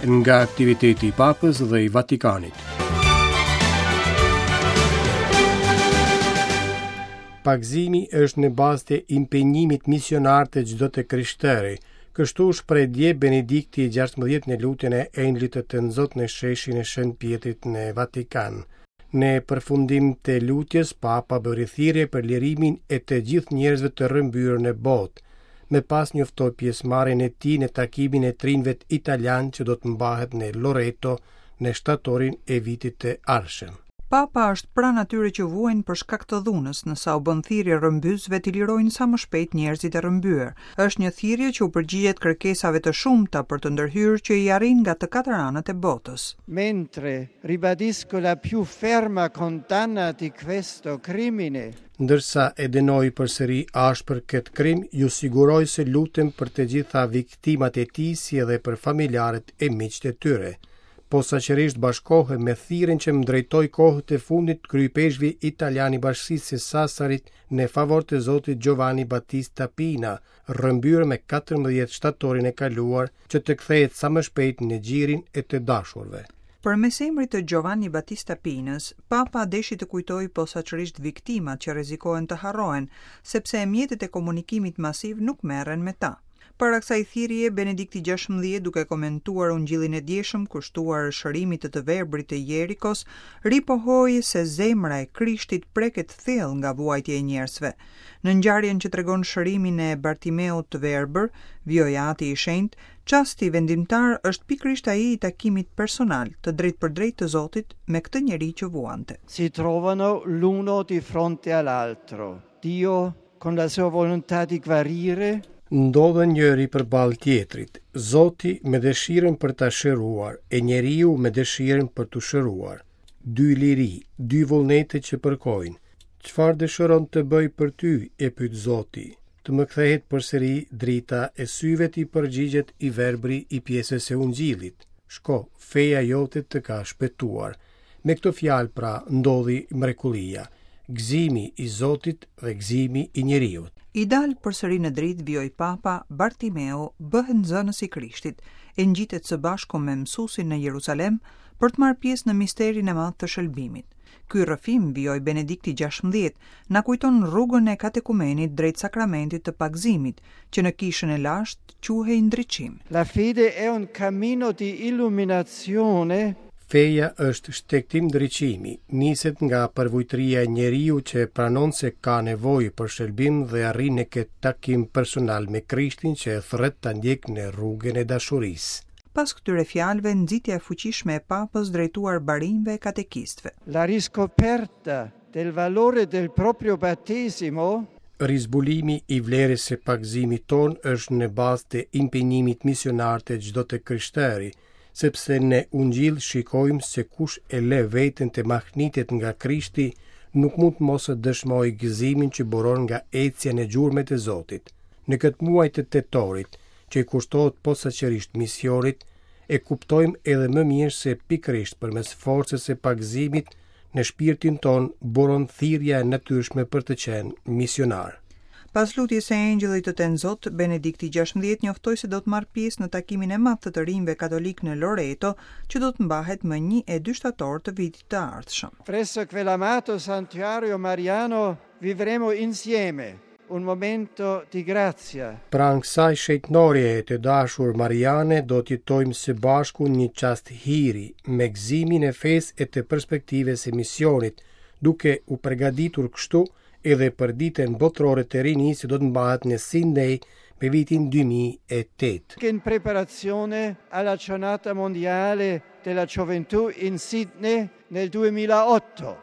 Nga aktiviteti i Papës dhe i Vatikanit. Pagëzimi është në bazë të impenjimit misionar të çdo të krishteri. Kështu u shpreh dje Benedikti i 16 në lutjen e Engjëllit të Tënzot në sheshin e Shën Pjetrit në Vatikan. Në përfundim të lutjes, Papa bëri thirrje për lirimin e të gjithë njerëzve të rrëmbyer në botë. Më pas njoftoi pjesëmarrjen e tij në takimin e të rinjve italianë që do të mbahet në Loreto në shtatorin e vitit të ardhshëm. Papa është pranë atyre që vuajnë për shkak të dhunës, ndërsa u bën thirrje rrëmbyesve t'i lirojnë sa më shpejt njerëzit e rrëmbyer. Është një thirrje që u përgjigjet kërkesave të shumta për të ndërhyrë që i arrijnë nga të katër anët e botës. Mentre ribadisco la più ferma condanna di questo crimine. Ndërsa e dënoj përsëri ashpër këtë krim, ju siguroj se lutem për të gjitha viktimat e tij si edhe për familjarët e miqtë e tyre. Posaçërisht bashkohem me thirrjen që më drejtoi kohët e fundit kryeipeshkvi italian i Bashkësisë së Sasarit në favor të zotit Giovanni Battista Pina, rrëmbyer me 14 shtatorin e kaluar, që të kthehet sa më shpejt në gjirin e të dashurve. Përmes emrit të Giovanni Battista Pinës, Papa deshi të kujtojë posaçërisht viktimat që rrezikohen të harrohen, sepse mjetet e komunikimit masiv nuk merren me ta. Para kësaj thirrjeje, Benedikti 16, duke komentuar Ungjillin e djeshëm kushtuar shërimit të të verbrit të Jerikos, ripohoi se zemra e Krishtit preket thellë nga vuajtja e njerëzve. Në ngjarjen që tregon shërimin e Bartimeut të verbër, vijoi Ati i Shenjtë, çasti vendimtar është pikërisht ai i takimit personal, të drejtpërdrejtë të Zotit me këtë njeri që vuante. Si trovano l'uno di fronte all'altro. Dio con la sua volontà di guarire. Ndodhen njëri përballë tjetrit, Zoti me dëshirën për ta shëruar e njeriu me dëshirën për t'u shëruar. Dy liri, dy vullnete që përkojnë. Çfarë dëshiron të bëj për ty, e pyet Zoti. Të më kthehet përsëri drita e syve t'i përgjigjet i verbri i pjesës së Ungjillit. Shko, feja jote të ka shpëtuar. Me këto fjalë pra ndodhi mrekullia, gëzimi i Zotit dhe gëzimi i njeriut. I dalë përsëri në dritë, vijoi Papa, Bartimeu bëhet nxënës i Krishtit, e ngjitet së bashku me mësuesin në Jerusalem për të marrë pjesë në misterin e madh të shëlbimit. Ky rrëfim, vijoi Benedikti 16, na kujton rrugën e katekumenit drejt sakramentit të pagëzimit, që në kishën e lashtë quhej ndriçim. La fede è un cammino di illuminazione. Feja është shtegtim ndriçimi, niset nga përvujtëria e njeriut që pranon se ka nevojë për shëlbim dhe arrin në këtë takim personal me Krishtin që e thërret ta ndjekë në rrugën e dashurisë. Pas këtyre fjalëve, nxitja e fuqishme e Papës drejtuar barinjve e katekistëve. La riscoperta del valore del proprio battesimo. Rizbulimi i vlerës së pagëzimit tonë është në bazë të impenjimit misionar të çdo të krishteri, sepse në Ungjill shikojmë se kush e lë veten të mahnitet nga Krishti, nuk mund të mos e dëshmojë gëzimin që buron nga ecja në gjurmët e Zotit. Në këtë muaj të tetorit, që i kushtohet posaçërisht misionit, e kuptojmë edhe më mirë se pikërisht përmes forcës së pagëzimit në shpirtin tonë buron thirrja e natyrshme për të qenë misionar. Pas lutjes së Engjëllit të Tenzot, Benedikti 16 njoftoi se do të marrë pjesë në takimin e madh të të rinjve katolikë në Loreto, që do të mbahet më 1 e 2 shtator të vitit të ardhshëm. Presso quell'amato santuario mariano vivremo insieme un momento di grazia. Pranë kësaj shenjtnoreje të dashur Mariane do të jetojmë së bashku një çast hiri, me gëzimin e fesë e të perspektivës së misionit, duke u përgatitur kështu edhe për ditën botërore të rinisë që do të mbahet në Sydney me vitin 2008. In preparazione alla giornata mondiale della gioventù in Sydney nel 2008.